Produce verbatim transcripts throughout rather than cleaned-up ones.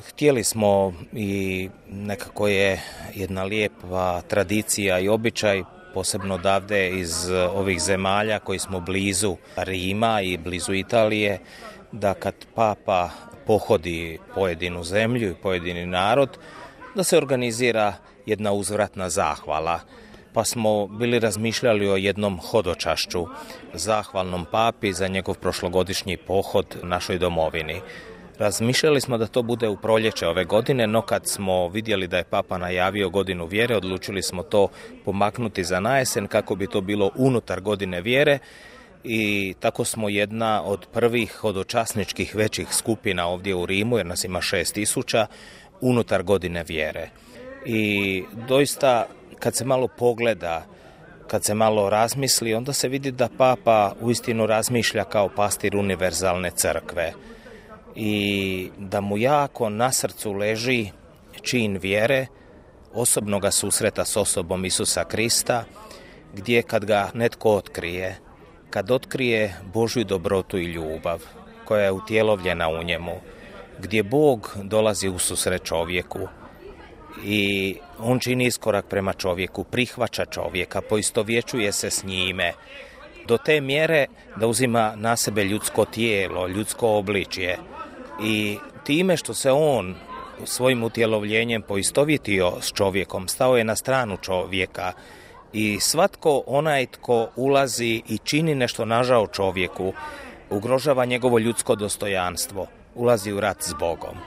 Htjeli smo i nekako je jedna lijepa tradicija i običaj, posebno odavde iz ovih zemalja koji smo blizu Rima i blizu Italije, da kad Papa pohodi pojedinu zemlju i pojedini narod, da se organizira jedna uzvratna zahvala. Pa smo bili razmišljali o jednom hodočašću, zahvalnom Papi za njegov prošlogodišnji pohod našoj domovini. Razmišljali smo da to bude u proljeće ove godine, no kad smo vidjeli da je Papa najavio godinu vjere, odlučili smo to pomaknuti za najesen kako bi to bilo unutar godine vjere i tako smo jedna od prvih hodočasničkih većih skupina ovdje u Rimu, jer nas ima šest tisuća, unutar godine vjere. I doista kad se malo pogleda, kad se malo razmisli, onda se vidi da Papa uistinu razmišlja kao pastir univerzalne crkve i da mu jako na srcu leži čin vjere, osobnoga susreta s osobom Isusa Krista, gdje kad ga netko otkrije, kad otkrije Božju dobrotu i ljubav koja je utjelovljena u njemu, gdje Bog dolazi u susret čovjeku i on čini iskorak prema čovjeku, prihvaća čovjeka, poistovjećuje se s njime do te mjere da uzima na sebe ljudsko tijelo, ljudsko obličje i time što se on svojim utjelovljenjem poistovjetio s čovjekom, stao je na stranu čovjeka i svatko onaj tko ulazi i čini nešto nažao čovjeku, ugrožava njegovo ljudsko dostojanstvo, ulazi u rat s Bogom.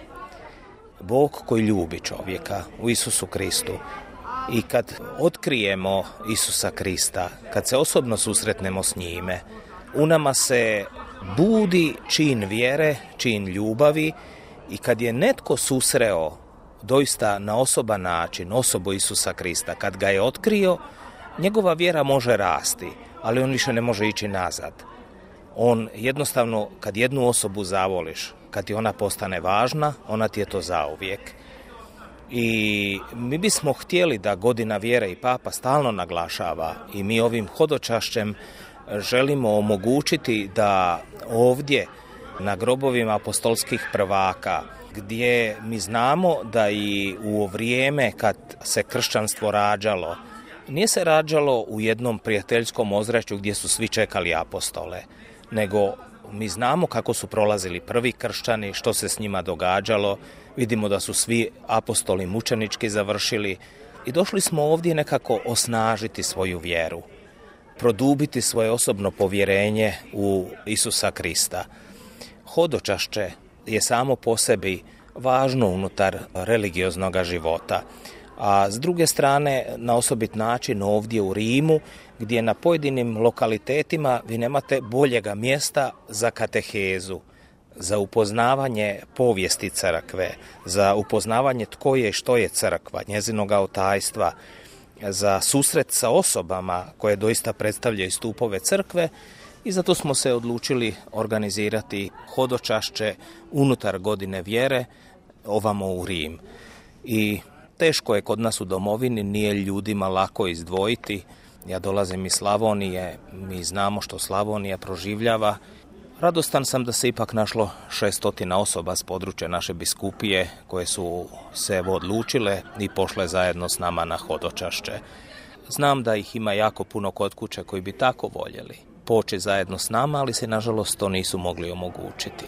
Bog koji ljubi čovjeka u Isusu Kristu. I kad otkrijemo Isusa Krista, kad se osobno susretnemo s njime, u nama se budi čin vjere, čin ljubavi i kad je netko susreo doista na osoban način osobu Isusa Krista, kad ga je otkrio, njegova vjera može rasti, ali on više ne može ići nazad. On jednostavno, kad jednu osobu zavoliš, kad ti ona postane važna, ona ti je to zauvijek. I mi bismo htjeli da godina vjere i Papa stalno naglašava i mi ovim hodočašćem želimo omogućiti da ovdje na grobovima apostolskih prvaka, gdje mi znamo da i u vrijeme kad se kršćanstvo rađalo, nije se rađalo u jednom prijateljskom ozračju gdje su svi čekali apostole, nego mi znamo kako su prolazili prvi kršćani, što se s njima događalo, vidimo da su svi apostoli mučenički završili i došli smo ovdje nekako osnažiti svoju vjeru, produbiti svoje osobno povjerenje u Isusa Krista. Hodočašće je samo po sebi važno unutar religioznog života, a s druge strane na osobit način ovdje u Rimu, gdje na pojedinim lokalitetima vi nemate boljega mjesta za katehezu, za upoznavanje povijesti crkve, za upoznavanje tko je i što je crkva, njezinoga otajstva, za susret sa osobama koje doista predstavljaju stupove crkve i zato smo se odlučili organizirati hodočašće unutar godine vjere ovamo u Rim. I teško je kod nas u domovini, nije ljudima lako izdvojiti. Ja dolazim iz Slavonije, mi znamo što Slavonija proživljava. Radostan sam da se ipak našlo šestotina osoba s područja naše biskupije koje su se odlučile i pošle zajedno s nama na hodočašće. Znam da ih ima jako puno kod kuće koji bi tako voljeli poći zajedno s nama, ali se nažalost to nisu mogli omogućiti.